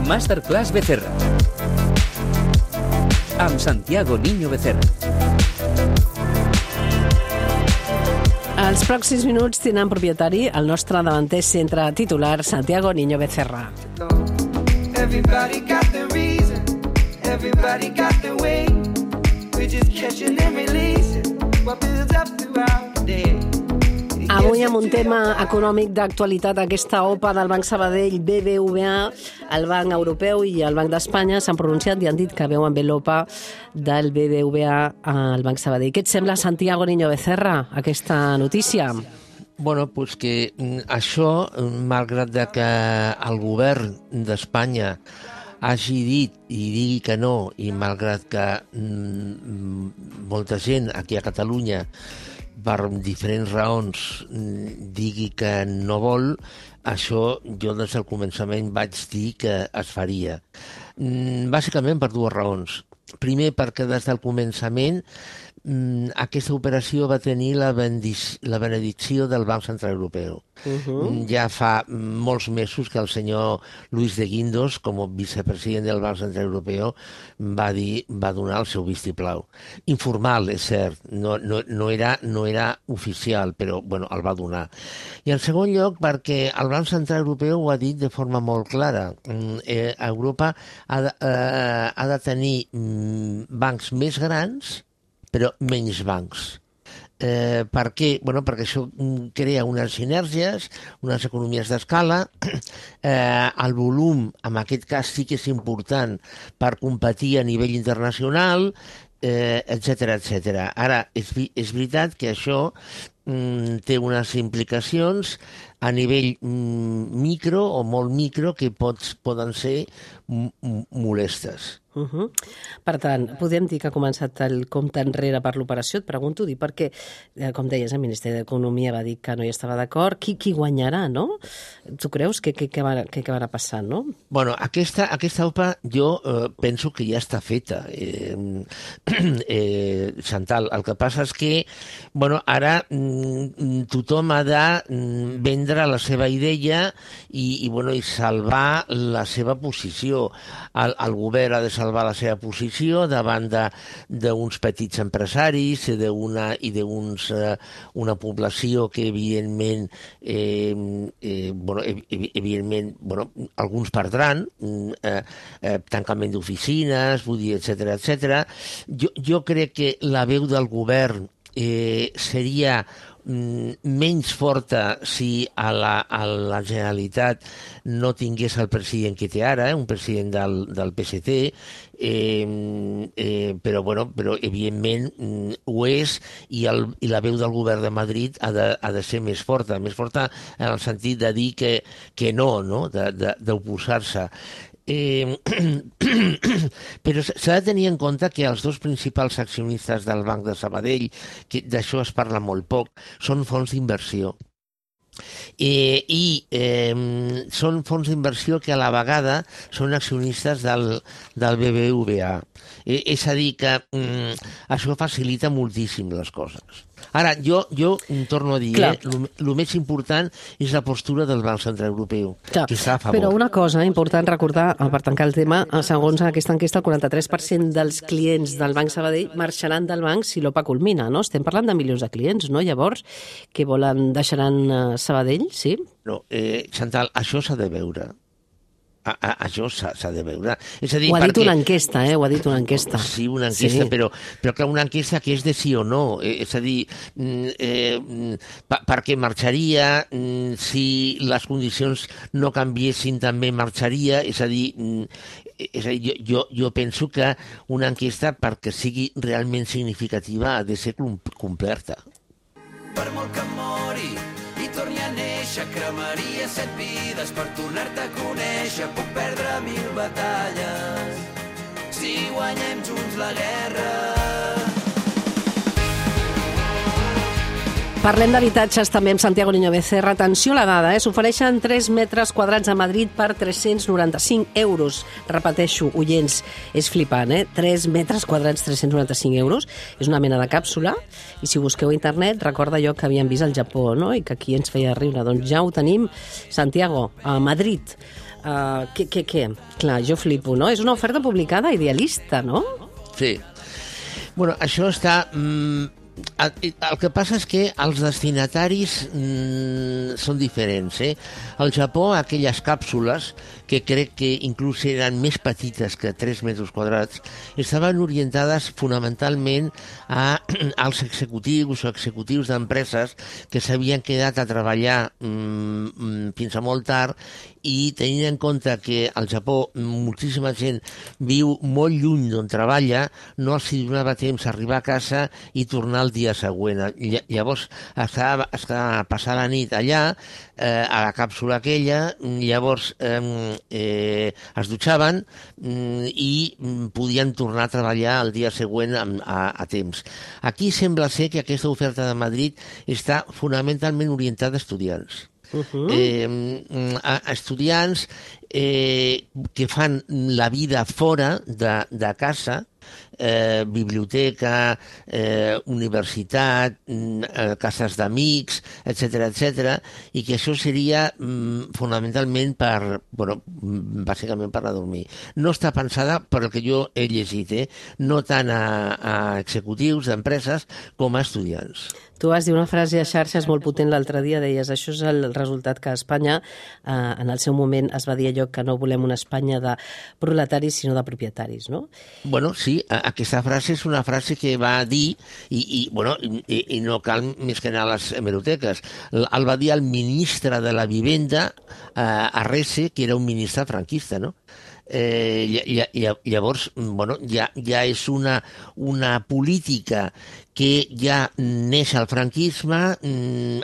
Masterclass Becerra amb Santiago Niño Becerra. Els pròxims minuts tindran propietari el nostre davanter centre titular, Santiago Niño Becerra. Everybody got the reason, everybody got the way. We're just catching and releasing what builds up throughout the day. Avui amb un tema econòmic d'actualitat, aquesta OPA del Banc Sabadell, BBVA, el Banc Europeu i el Banc d'Espanya s'han pronunciat i han dit que veuen bé l'OPA del BBVA al Banc Sabadell. Què et sembla, Santiago Niño Becerra, aquesta notícia? Bueno, pues que això, malgrat que el govern d'Espanya hagi dit i digui que no, i malgrat que molta gent aquí a Catalunya per diferents raons digui que no vol, això jo des del començament vaig dir que es faria. Bàsicament per dues raons. Primer, perquè des del començament aquesta operació va tenir la benedicció del Banc Central Europeu. Ja fa molts mesos que el senyor Luis de Guindos, com a vicepresident del Banc Central Europeu, va donar el seu vistiplau. Informal, és cert, no era oficial, però bueno, el va donar. I en segon lloc, perquè el Banc Central Europeu ho ha dit de forma molt clara. Europa ha de tenir bancs més grans però menys bancs. Per què? Bueno, perquè això crea unes sinergies, unes economies d'escala. El volum, en aquest cas, sí que és important per competir a nivell internacional, etcètera, etcètera. Ara, és veritat que això té unes implicacions a nivell micro o molt micro que poden ser molestes. Per tant, podem dir que ha començat el compte enrere per l'operació? Et pregunto, perquè, com deies, el Ministeri d'Economia va dir que no hi estava d'acord. Qui guanyarà, no? Tu creus que acabarà passant, no? Bueno, aquesta OPA jo penso que ja està feta, Chantal. El que passa és que ara tothom ha de vendre la seva idea i salvar la seva posició. El govern ha de salvar la seva posició davant d'uns petits empresaris i d'una població que evidentment alguns perdran, tancament d'oficines, vull dir, etcètera. Jo crec que la veu del govern seria menys forta si a la Generalitat no tingués el president que té ara, un president del PSC, però evidentment ho és, i la veu del govern de Madrid ha de ser més forta en el sentit de dir que no, d'oposar-se. Però s'ha de tenir en compte que els dos principals accionistes del Banc de Sabadell, que d'això es parla molt poc, són fons d'inversió. Són fons d'inversió que a la vegada són accionistes del BBVA. És a dir, que això facilita moltíssim les coses. Ara, jo torno a dir, el més important és la postura del Banc Central Europeu, que està a favor. Però una cosa important recordar, per tancar el tema, segons aquesta enquesta, el 43% dels clients del Banc Sabadell marxaran del banc si l'OPA culmina, no? Estem parlant de milions de clients, no? Llavors, que deixaran Sabadell, sí? No, Chantal, això s'ha de veure. Això s'ha de veure. És a dir, ho ha dit una enquesta, ho ha dit una enquesta. Sí, una enquesta, sí. Però clar, una enquesta que és de sí o no. És a dir, per què marxaria? Si les condicions no canviessin, també marxaria? És a dir, jo penso que una enquesta, perquè sigui realment significativa, ha de ser completa. Per molt que mori i torni a néixer, cremaria 7 vides per tornar-te a conèixer. Puc perdre 1000 batalles si guanyem junts la guerra. Parlem d'habitatges també amb Santiago Niño Becerra. Atenció a la dada, s'ofereixen 3 metres quadrats a Madrid per 395 euros. Repeteixo, oients, és flipant, 3 metres quadrats, 395 euros. És una mena de càpsula. I si busqueu a internet, recorda allò que havíem vist al Japó, no? I que aquí ens feia riure. Doncs ja ho tenim, Santiago, a Madrid. Què? Clar, jo flipo, no? És una oferta publicada idealista, no? Sí. Bueno, això està... El que passa és que els destinataris són diferents. Al Japó, aquelles càpsules, que crec que inclús eren més petites que 3 metres quadrats, estaven orientades fonamentalment als executius o executius d'empreses que s'havien quedat a treballar fins a molt tard, i tenint en compte que al Japó moltíssima gent viu molt lluny d'on treballa, no els donava temps a arribar a casa i tornar el dia següent. Llavors, passar la nit allà, a la càpsula aquella, llavors es dutxaven i podien tornar a treballar el dia següent a temps. Aquí sembla ser que aquesta oferta de Madrid està fonamentalment orientada a estudiants. A estudiants que fan la vida fora de casa, biblioteca, universitat, cases d'amics, etc., i que això seria fonamentalment bàsicament per a dormir. No està pensada, per el que jo he llegit, no tant a executius d'empreses com a estudiants. Tu vas dir una frase a xarxes molt potent l'altre dia, deies, això és el resultat que a Espanya, en el seu moment es va dir allò que no volem una Espanya de proletaris sinó de propietaris, no? Bueno, sí, aquesta frase és una frase que va dir, i no cal més que anar a les hemeroteques, el va dir el ministre de la Vivenda, Arrese, que era un ministre franquista, no? Llavors, ja és una política que ja neix al franquisme,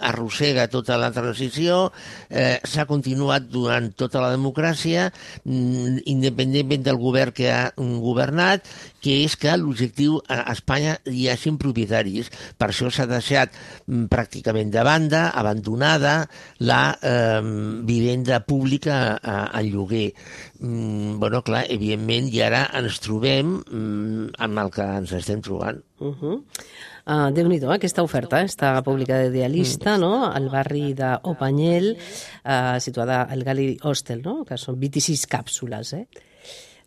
arrossega tota la transició, s'ha continuat durant tota la democràcia, independentment del govern que ha governat, que és que l'objectiu a Espanya hi hagin propietaris. Per això s'ha deixat pràcticament de banda, abandonada, la vivenda pública al lloguer. Clar, evidentment, i ara ens trobem amb el que ens estem trobant. Déu-n'hi-do, aquesta oferta està publicada idealista, no? Al barri d'Opanyel, situada al Gali Hostel, no? Que són 26 càpsules,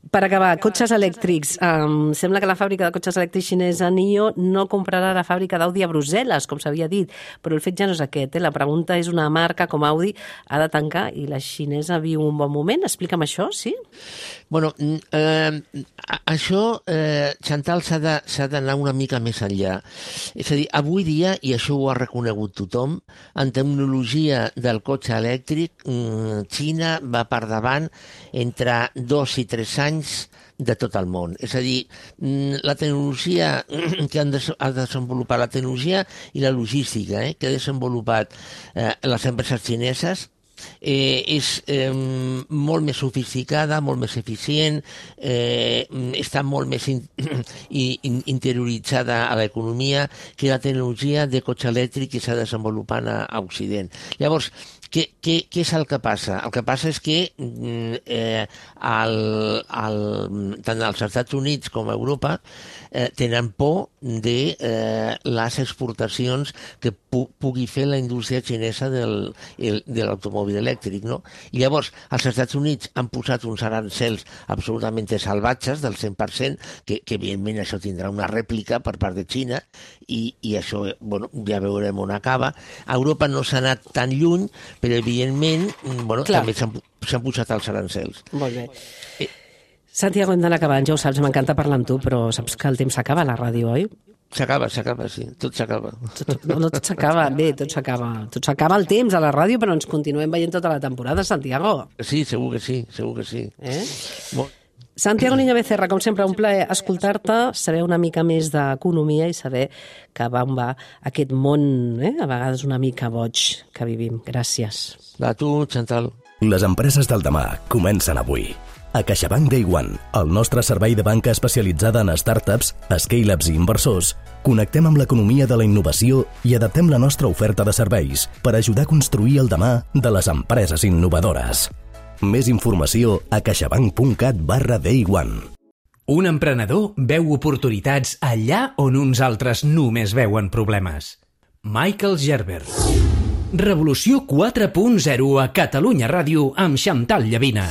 Per acabar, cotxes elèctrics. Sembla que la fàbrica de cotxes elèctrics xinesa NIO no comprarà la fàbrica d'Audi a Brussel·les, com s'havia dit, però el fet ja no és aquest. La pregunta és, una marca com Audi ha de tancar i la xinesa viu un bon moment? Explica'm això, sí? Bueno, això, Chantal, s'ha d'anar una mica més enllà. És a dir, avui dia, i això ho ha reconegut tothom, en tecnologia del cotxe elèctric, Xina va per davant entre 2 i 3 anys de tot el món. És a dir, la tecnologia que ha desenvolupat, la tecnologia i la logística que ha desenvolupat les empreses xineses és molt més sofisticada, molt més eficient, està molt més interioritzada a l'economia que la tecnologia de cotxe elèctric que s'ha desenvolupat a Occident. Llavors, què és el que passa? El que passa és que tant als Estats Units com a Europa tenen por de les exportacions que pugui fer la indústria xinesa de l'automòbil elèctric, no? I llavors, els Estats Units han posat uns arancels absolutament salvatges del 100%, que evidentment això tindrà una rèplica per part de Xina, i això, ja veurem on acaba. A Europa no s'ha anat tan lluny, però evidentment també s'han posat els arancels. Molt bé. Santiago, hem d'anar acabant, ja ho saps, m'encanta parlar amb tu, però saps que el temps s'acaba a la ràdio, oi? S'acaba, sí, tot s'acaba. No, tot s'acaba, bé, tot s'acaba. Tot s'acaba el temps a la ràdio, però ens continuem veient tota la temporada, Santiago. Sí, segur que sí. Santiago Niño Becerra, com sempre, un plaer escoltar-te, saber una mica més d'economia i saber que on va aquest món, a vegades una mica boig que vivim. Gràcies. A tu, Chantal. Les empreses del demà comencen avui. A CaixaBank Day One, el nostre servei de banca especialitzada en startups, scale-ups i inversors, connectem amb l'economia de la innovació i adaptem la nostra oferta de serveis per ajudar a construir el demà de les empreses innovadores. Més informació a caixabank.cat/Day One. Un emprenedor veu oportunitats allà on uns altres només veuen problemes. Michael Gerber. Revolució 4.0 a Catalunya Ràdio amb Xantal Llavina.